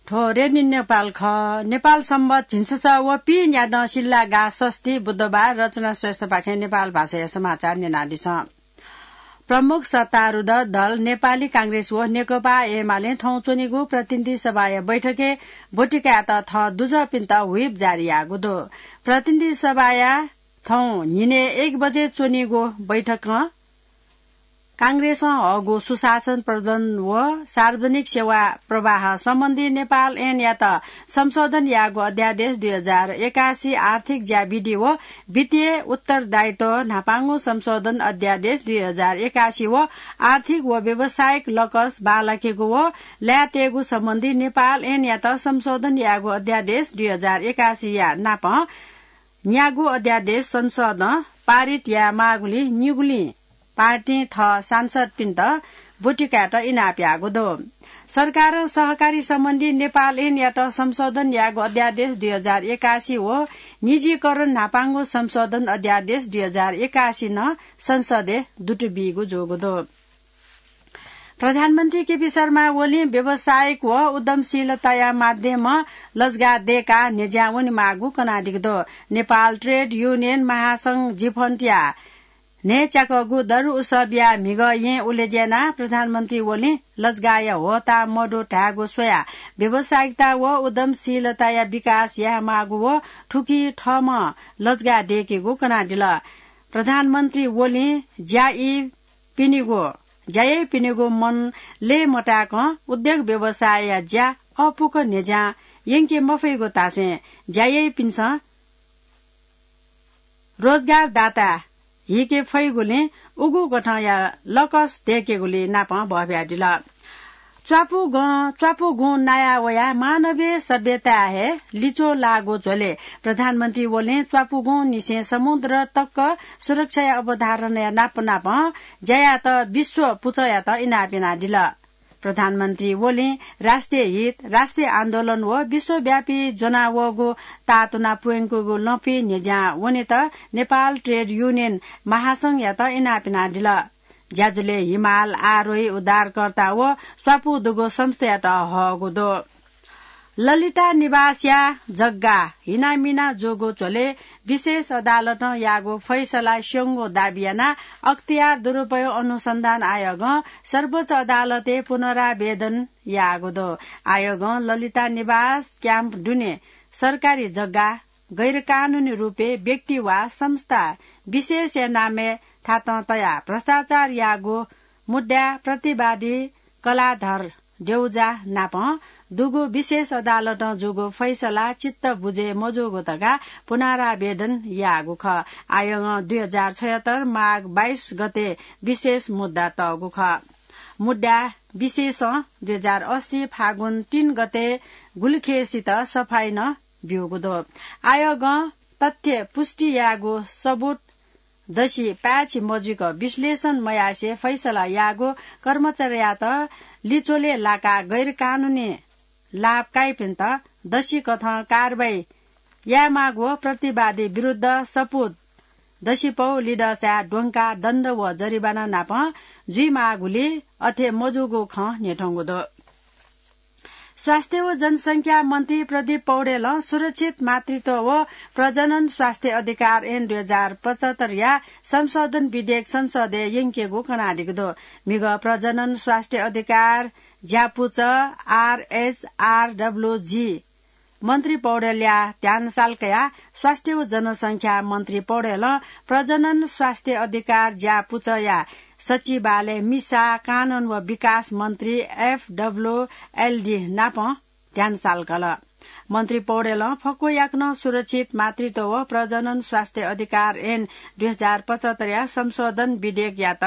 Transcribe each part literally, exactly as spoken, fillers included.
थ्व रेडियो नेपाल खः। नेपाल संवत झिंछसः व पीन्यादँ सिल्ला गाः षष्ठी बुधबार। रचना श्रेष्ठपाखें नेपाल भाषाया समाचार न्यनादिसँ। प्रमुख सत्तारूढ दल नेपाली कांग्रेस व नेकपा एमालें थौं च्वनीगु प्रतिनिधि सभाया बैठकय् ब्वति कायेत थः दुजःपिन्त व्हिप जारी याःगु दु। प्रतिनिधि सभाया थौं न्हिनय् एक बजे च्वनीगु बैठकं कांग्रेसं हःगु सुशासन प्रबन्धन व सार्वजनिक सेवा प्रवाह सम्बन्धी नेपाल ऐनयात संशोधन याःगु अध्यादेश दुई हजार एकासी, आर्थिक ज्याविधि व वित्तीय उत्तरदायित्व न्हापांगु संशोधन अध्यादेश दुई हजार एकासी व आर्थिक व व्यावसायिक लकस बांलाकेगु व लायेतयेगु सम्बन्धी नेपाल ऐनयात संशोधन याःगु अध्यादेश दुई हजार एकासीया नाप न्यागू अध्यादेश संसदं पारित यायेमाःगुलिं निगुलिं पार्टीं थः सांसदपिन्त ब्वति कायेत इनाप याःगु दु। सरकारं सहकारी सम्बन्धी नेपाल ऐनयात संशोधन याःगु अध्यादेश दुई हजार एकासी व निजीकरण न्हापांगु संशोधन अध्यादेश दुई हजार एकासी नं संसदय् दुत बीगु जूगु दु। प्रधानमन्त्री केपी शर्मा ओलीं व्यावसायिक व उद्यमशीलताया माध्यमं लजगाः दयेकाः न्ह्यज्यां वनेमाःगु कनादीगु दु। नेपाल ट्रेड युनियन महासंघ जिफन्टया न्हय्च्याकःगु दरु उत्सवया म्हिगः येँ उलेज्यानाः प्रधानमन्त्री ओलीं लजगाःया ह्वःताः मदु धायेगु स्वयाः व्यावसायिकता व उद्यमशीलताया विकास यायेमाःगु व थुकिं थःम्हं लजगाः दयेकेगु कनादिल। प्रधानमन्त्री ओलीं ज्या ई पिनिगु, ज्या याइपिनिगु मन लय् मताय्कं उद्योग व्यवसायया ज्या अःपुक न्ह्यज्यां यंके मफइगु धासें ज्या याइपिन्सं रोजगारदाता हीके फइगुलिं उगु गथंया लकस दयेकेगुली नापं बहब्यादिल। च्वापुगं, च्वापुगुं नाया वयाः मानवीय सभ्यताय् हे लिच्वः लाःगु झ्वलय् प्रधानमन्त्री ओलीं च्वापुगुं निसें समुद्र तक सुरक्षाया अवधारणाया नाप नापं ज्यायात विश्व पुचःयात इनाप यानादिल। प्रधानमन्त्री ओलीं राष्ट्रिय हित, राष्ट्रिय आन्दोलन व विश्वव्यापी ज्वनावःगु तातुना प्वय्कूगु लँपुइ न्ह्यज्यां वनेत नेपाल ट्रेड युनियन महासंघयात इनाप यानादिल। ज्याझ्वलय् हिमाल आरोही उद्धारकर्ता व स्वापू दुगु संस्थायात हःगु दु। ललिता निवासया जग्गा हिनामिना जूगु झ्वलय् विशेष अदालतं याःगु फैसला स्यंगु दाबी यानाः अख्तियार दुरुपयोग अनुसन्धान आयोगं सर्वोच्च अदालतय् पुनरावेदन याःगु दु। आयोगं ललिता निवास क्याम्प दुने सरकारी जग्गा गैरकानुनी रूपय् व्यक्ति वा संस्था विशेषया नामय् थातं तयाः भ्रष्टाचार याःगु मुद्दाय् प्रतिवादी कलाधर देउजा नाप दुगु विशेष अदालतं जूगु फैसला चित्त बुझे मजूगु धकाः पुनरावेदन याःगु खः। आयोगं दुई हजार छयत्तर माघ बाइस गते विशेष मुद्दा तःगु खः। मुद्दा विशेषं दुई हजार अस्सी फागुन तीन गते गुलिखेसित सफाई नं ब्यूगु दु। आयोगं तथ्य पुष्टि याःगु सबुत दसि पाय्छि मजुइक विश्लेषण मयासें फैसला याःगु कर्मचारीयात लिच्वलय् लाकाः गैरकानुनी लाभ काइपिन्त दसि कथं कारवाही यायेमाःगु व प्रतिवादी विरुद्ध सपुत दसिपौ लिदःसाय् द्वंकाः दण्ड व जरिवाना नाप जुइमाःगुलिं अथे मजूगु खँ न्ह्यथंगु दु। स्वास्थ्य व जनसंख्या मन्त्री प्रदीप पौडेलं सुरक्षित मातृत्व व प्रजनन स्वास्थ्य अधिकार ऐन दुई हजार पचहत्तरया संशोधन विधेयक संसदय् यंकेगु कनादीगु दु। म्हिगः प्रजनन स्वास्थ्य अधिकार ज्यापुचः आरएचआरडब्ल्यूजी मन्त्री पौडेलया ध्यान साल कयाः स्वास्थ्य व जनसंख्या मन्त्री पौडेलं प्रजनन स्वास्थ्य अधिकार ज्यापुचःया सचिवालय मिसा, कानून व विकास मन्त्री एफडब्ल्यूएलडी नाप ध्यान साल कल। मन्त्री पौडेलं फक्व याकनं सुरक्षित मातृत्व व प्रजनन स्वास्थ्य अधिकार ऐन दुई हजार पचहत्तरया संशोधन विधेयकयात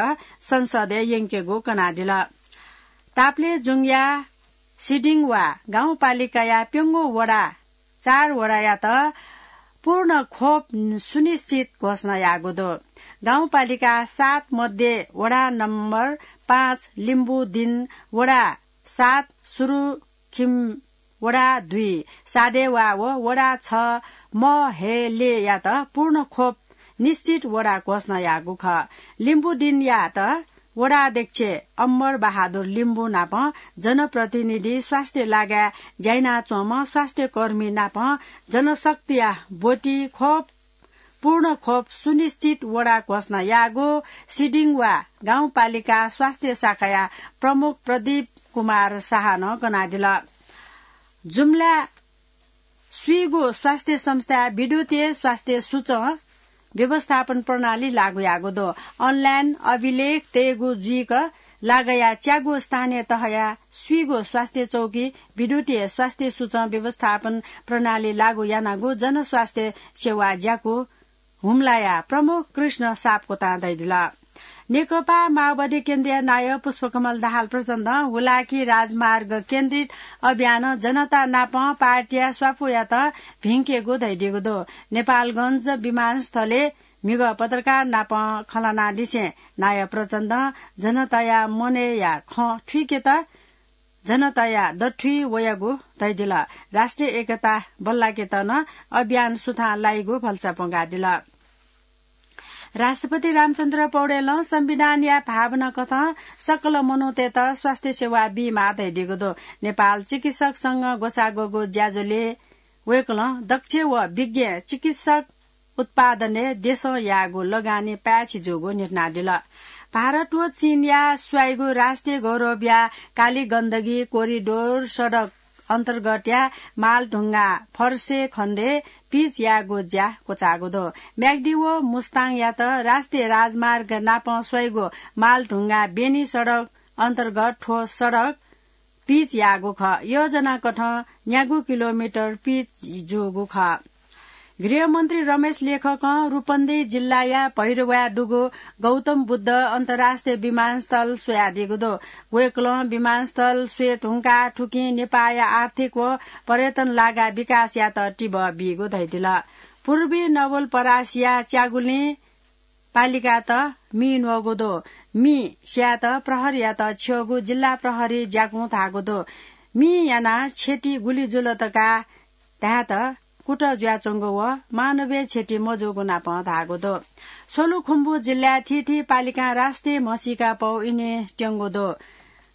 संसदय् यंकेगु कनादिल। ताप्लेजुङया सिडिङवा गाउँपालिकाया प्यंगू वडा चार वडायात पूर्ण खोप सुनिश्चित घोषणा याःगु दु। गाउँपालिका सात मध्ये वडा नम्बर पाँच लिम्बुदिन, वडा सात सुरुखिम, वडा दुई सादेवा व वडा छ महेलेयात पूर्ण खोप निश्चित वडा घोषणा याःगु खः। लिम्बुदिनयात वडाध्यक्ष अम्बर बहादुर लिम्बू नापं जनप्रतिनिधि, स्वास्थ्य लागाय् ज्याइनाच्वंम्ह स्वास्थ्यकर्मी नापं जनशक्तिया ब्वति खोप, पूर्ण खोप सुनिश्चित वडा घोषणा याःगु सिडिङ वा गाउँपालिका स्वास्थ्य शाखाया प्रमुख प्रदीप कुमार शाहं कनादिल। जुम्ला स्वीगु स्वास्थ्य संस्था विद्युतीय स्वास्थ्य सूचं व्यवस्थापन प्रणाली लागू याःगु दु। अनलाइन अभिलेख तयेगु जुइक लागया च्यागू स्थानीय तहया स्वीगु स्वास्थ्य चौकी विद्युतीय स्वास्थ्य सूचं व्यवस्थापन प्रणाली लागू यानागु जनस्वास्थ्य सेवा ज्याकू हुम्लाया प्रमुख कृष्ण सापकोटां धयादिल। नेकपा माओवादी केन्द्रीय नायः पुष्पकमल दाहाल प्रचण्डं हुलाकी राजमार्ग केन्द्रित अभियानं जनता नापं पार्टीया स्वापूयात भिंकेगु धयादीगु दु। नेपालगञ्ज विमानस्थलय् म्हिगः पत्रकार नापं खँल्हानादिसें नायः प्रचण्डं जनताया मनय्‌या खँ थुइकेत जनताया दथुइ वयागु धयादिल। राष्ट्रिय एकता बल्लाकेत नं अभियान सुथां लाइगु भलसा प्वंकादिल। राष्ट्रपति रामचन्द्र पौडेलं संविधानया भावना कथं सकल मनूतय्‌त स्वास्थ्य सेवा बीमाः धयादीगु दु। नेपाल चिकित्सक संघ ग्वसाः ग्वःगु ज्याझ्वलय् वय्‌कलं दक्ष व विज्ञ चिकित्सक उत्पादनय् देशं याःगु लगानी पाय्‌छि जूगु न्ह्यथनादिल। भारत व चीनया स्वाइगु राष्ट्रिय गौरवया काली गण्डकी कोरिडोर सडक अन्तर्गतया मालढुङ्गा फर्से खण्डय् पिच याःगु ज्या क्वचाःगु दु। म्याग्दी व मुस्ताङयात राष्ट्रिय राजमार्ग नापं स्वाइगु मालढुङ्गा बेनी सडक अन्तर्गत थ्व सडक पिच याःगु खः। योजना कथं न्यागू किलोमिटर पिच जूगु खः। गृहमन्त्री रमेश लेखकं रूपन्देही जिल्लाया भैरवाय् दुगु गौतम बुद्ध अन्तर्राष्ट्रिय विमानस्थल स्वयादीगु दु। वय्‌कलं विमानस्थल स्वये धुंकाः थुकिं नेपाःया आर्थिक व पर्यटन लागा विकासयात तिबः बीगु धयादिल। पूर्वी नवलपरासीया च्यागुलिं पालिकात मि न्वःगु दु। मि स्यायेत प्रहरीयात छ्यःगु जिल्ला प्रहरी ज्याकुं धाःगु दु। मि यानाः क्षति गुलि जुल धकाः धायेत कुतः जुयाच्वंगु व मानवीय क्षति मजूगु नापं धाःगु दु। सोलुखुम्बु जिल्लाय् थीथी पालिकां राष्ट्रिय म्हसीका पौ इने त्यंगु दु।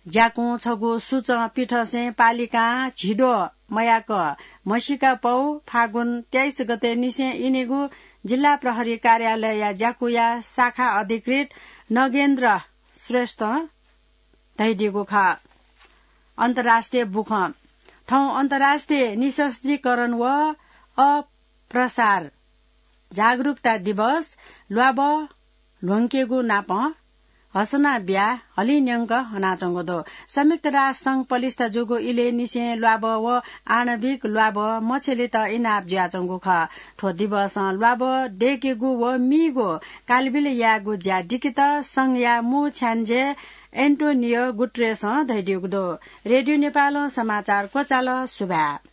ज्याकुं छगू सूचं पिथंसें पालिकां झिद्वः मयाक म्हसीका पौ फागुन तेइस गते निसें इनेगु जिल्ला प्रहरी कार्यालयया ज्याकुया शाखा अधिकृत नगेन्द्र श्रेष्ठं धयादीगु खः। अन्तर्राष्ट्रिय बुखँ। थौं अन्तर्राष्ट्रिय निःशस्त्रीकरण व अप्रसार जागरूकता दिवस ल्वाभः ल्ह्वंकेगु नापं हसना ब्या हलिंन्यंक हनाच्वंगु दु। संयुक्त राष्ट्र संघ पलिस्था जूगु इलय् निसें ल्वाभः व आणविक ल्वाभः मछेलित इनाप जुयाच्वंगु खः। थ्व दिवसं ल्वाभः दय्‌केगु व मीगु कालबिल यायेगु ज्या दिकेत संघया मू छ्याञ्जे एन्टोनियो गुटरेसं धयादीगु दु। रेडियो नेपालं समाचार क्वचाल। सुभाय्।